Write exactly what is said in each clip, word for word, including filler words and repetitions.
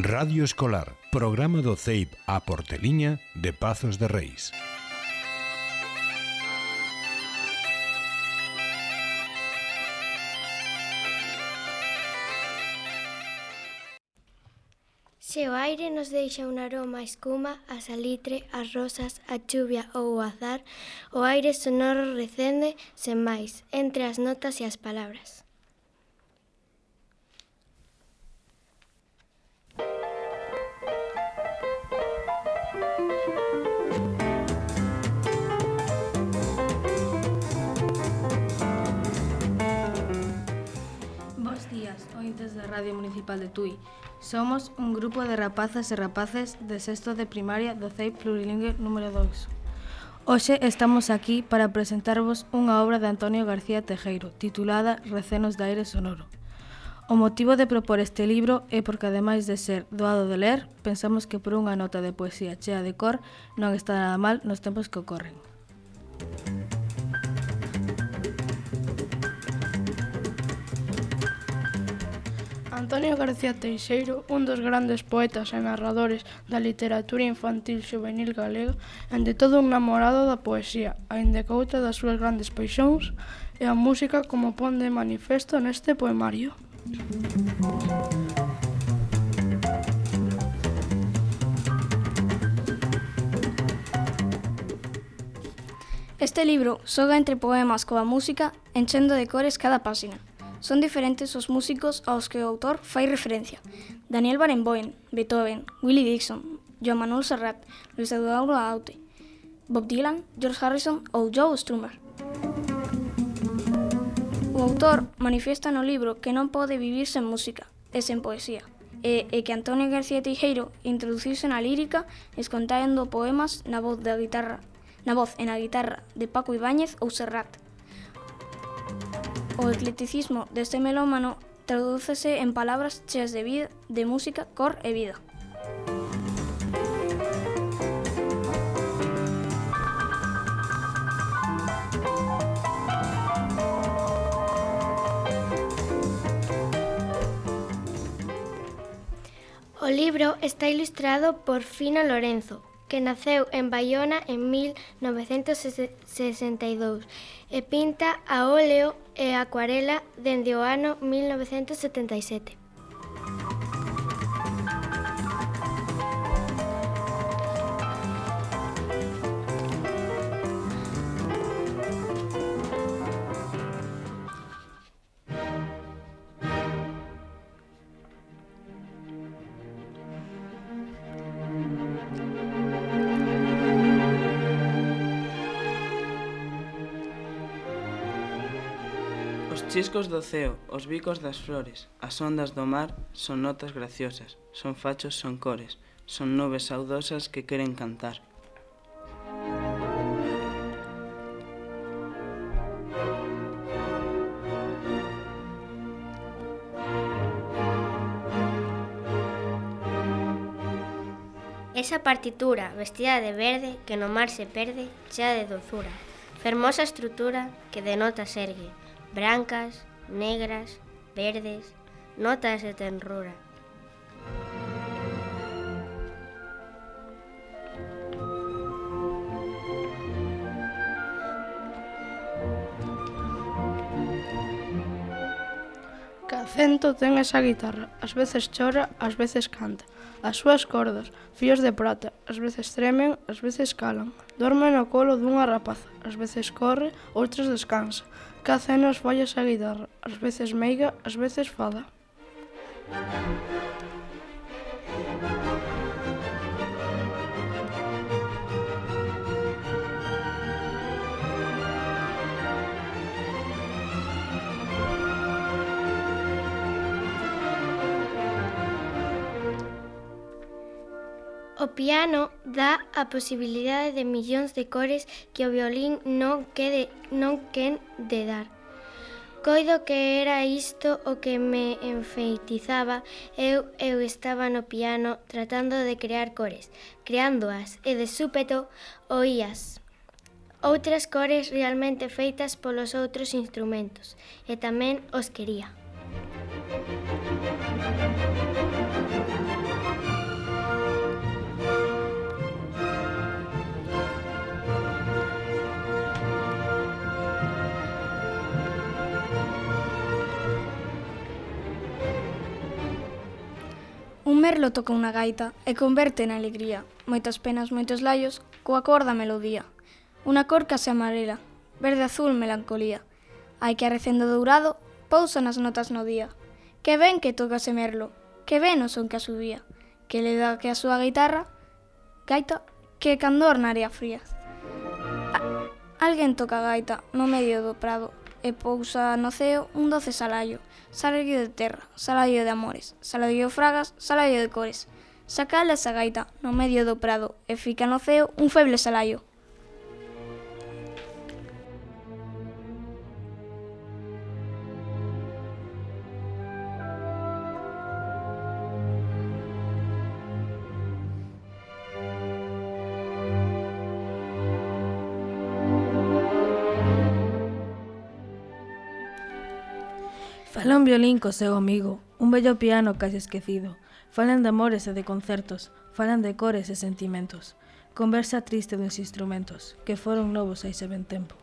Radio Escolar, programa do C E I P a Porteliña de Pazos de Reis. Se o aire nos deixa un aroma a escuma, a salitre, as rosas, a chuvia ou o azar, o aire sonoro recende, sen máis, entre as notas e as palabras. Bos días, ointes da Radio Municipal de Tui. Somos un grupo de rapazas e rapaces de sexto de primaria do C E I P Plurilingüe número dous. Hoxe estamos aquí para presentarvos unha obra de Antonio García Tejeiro, titulada Recenos de aire sonoro. O motivo de propor este libro é porque, ademais de ser doado de ler, pensamos que por unha nota de poesía chea de cor non está nada mal nos tempos que ocorren. Antonio García Teixeiro, un dos grandes poetas e narradores da literatura infantil xuvenil galega, ende todo un namorado da poesía, aínda que outra das súas grandes paixóns é a música, como pon de manifesto neste poemario. Este libro xoga entre poemas coa música, enchendo de cores cada páxina. Son diferentes os músicos aos que o autor fai referencia. Daniel Barenboim, Beethoven, Willie Dixon, Joan Manuel Serrat, Luis Eduardo Aute, Bob Dylan, George Harrison ou Joe Strummer. O autor manifiesta no libro que non pode vivir sen música e sen poesía, e, e que Antonio García Teixeiro introduciuse na lírica escontando poemas na voz da guitarra, na voz e na guitarra de Paco Ibáñez ou Serrat. O eclecticismo deste melómano tradúcese en palabras cheas de vida, de música, cor e vida. O libro está ilustrado por Fino Lorenzo, que naceu en Baiona en mil novecentos sesenta e dous e pinta a óleo e acuarela dende o ano mil novecentos setenta e sete. Os chiscos do ceo, os bicos das flores, as ondas do mar son notas graciosas, son fachos, son cores, son nubes saudosas que queren cantar. Esa partitura vestida de verde que no mar se perde, chea de dozura, fermosa estrutura que de notas ergue, brancas, negras, verdes, notas de tenrura. Que acento ten esa guitarra, ás veces chora, ás veces canta. As súas cordas, fíos de prata, ás veces tremen, ás veces calan. Dorme no colo dunha rapaza, ás veces corre, outras descansa. Que acenos fai esa guitarra, ás veces meiga, ás veces fada. O piano dá a posibilidade de millóns de cores que o violín non quede, non quen de dar. Coido que era isto o que me enfeitizaba, eu, eu estaba no piano tratando de crear cores, creándoas, e de súpeto oías outras cores realmente feitas polos outros instrumentos, e tamén os quería. Merlo toca unha gaita e converte na alegría. Moitas penas, moitos laios, coa cor da melodía. Unha cor case amarela, verde azul melancolía. Hai que arrecendo dourado, pousa nas notas no día. Que ben que toca ese Merlo, que ben o son que asubía, que le dá que a súa guitarra, gaita, que candor na area fría. A- Alguén toca a gaita no medio do prado e pousa no ceo un doce salaio, salaio de terra, salaio de amores, salaio de fragas, salaio de cores. Sacala esa gaita no medio do prado e fica no ceo un feble salaio. Fala un violín co seu amigo, un bello piano casi esquecido. Falan de amores e de concertos, falan de cores e sentimentos. Conversa triste dos instrumentos, que foron novos hai se ben tempo.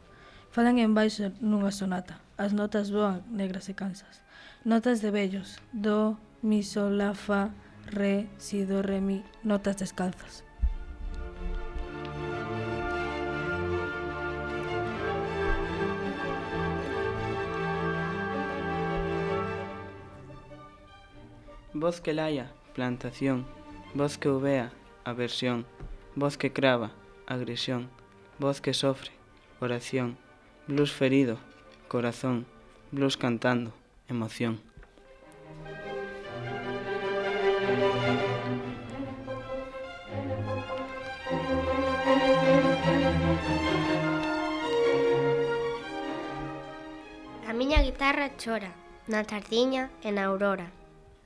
Falan en baixo nunha sonata, as notas voan negras e cansas. Notas de vellos, do, mi, sol, la, fa, re, si, do, re, mi, notas descalzas. Voz que laia, plantación. Voz que uvea, aversión. Voz que crava, agresión. Voz que sofre, oración. Blues ferido, corazón. Blues cantando, emoción. A miña guitarra chora, na tardiña e na aurora.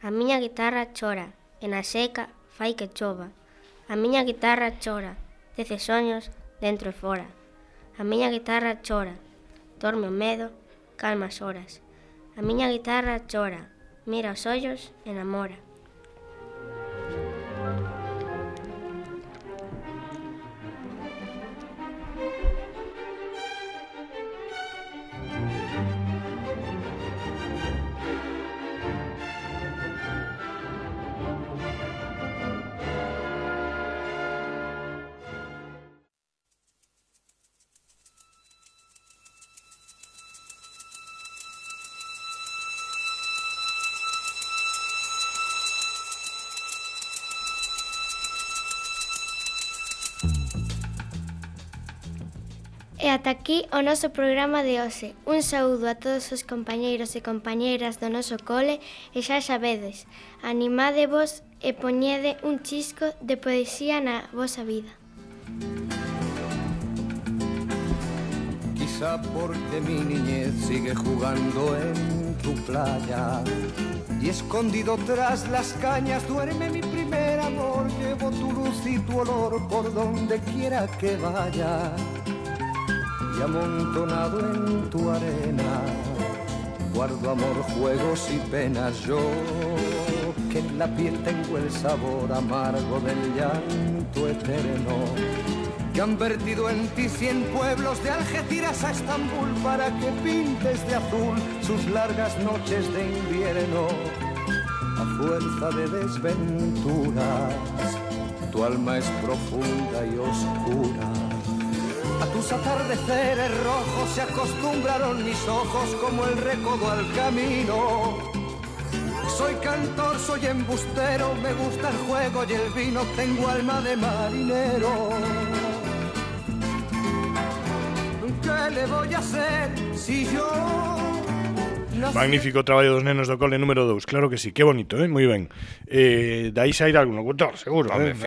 A miña guitarra chora, e na seca fai que chova. A miña guitarra chora, dece soños dentro e fora. A miña guitarra chora, dorme o medo, calma as horas. A miña guitarra chora, mira os ollos e namora. E ata aquí o noso programa de hoxe. Un saúdo a todos os compañeiros e compañeiras do noso cole e xa sabedes, animádevos e poñede un chisco de poesía na vosa vida. Quizá porque mi niñez sigue jugando en tu playa y escondido tras las cañas duerme mi primer amor. Llevo tu luz y tu olor por donde quiera que vaya. Y amontonado en tu arena guardo amor, juegos y penas. Yo que en la piel tengo el sabor amargo del llanto eterno, que han vertido en ti cien pueblos de Algeciras a Estambul para que pintes de azul sus largas noches de invierno. A fuerza de desventuras tu alma es profunda y oscura. A tus atardeceres rojos se acostumbraron mis ojos como el recodo al camino. Soy cantor, soy embustero, me gusta el juego y el vino, tengo alma de marinero. ¿Qué le voy a hacer si yo... Magnífico traballo dos nenos do cole número dous, claro que sí, que bonito, eh? Moi ben. Eh, dai sair algún locutor, seguro, eh?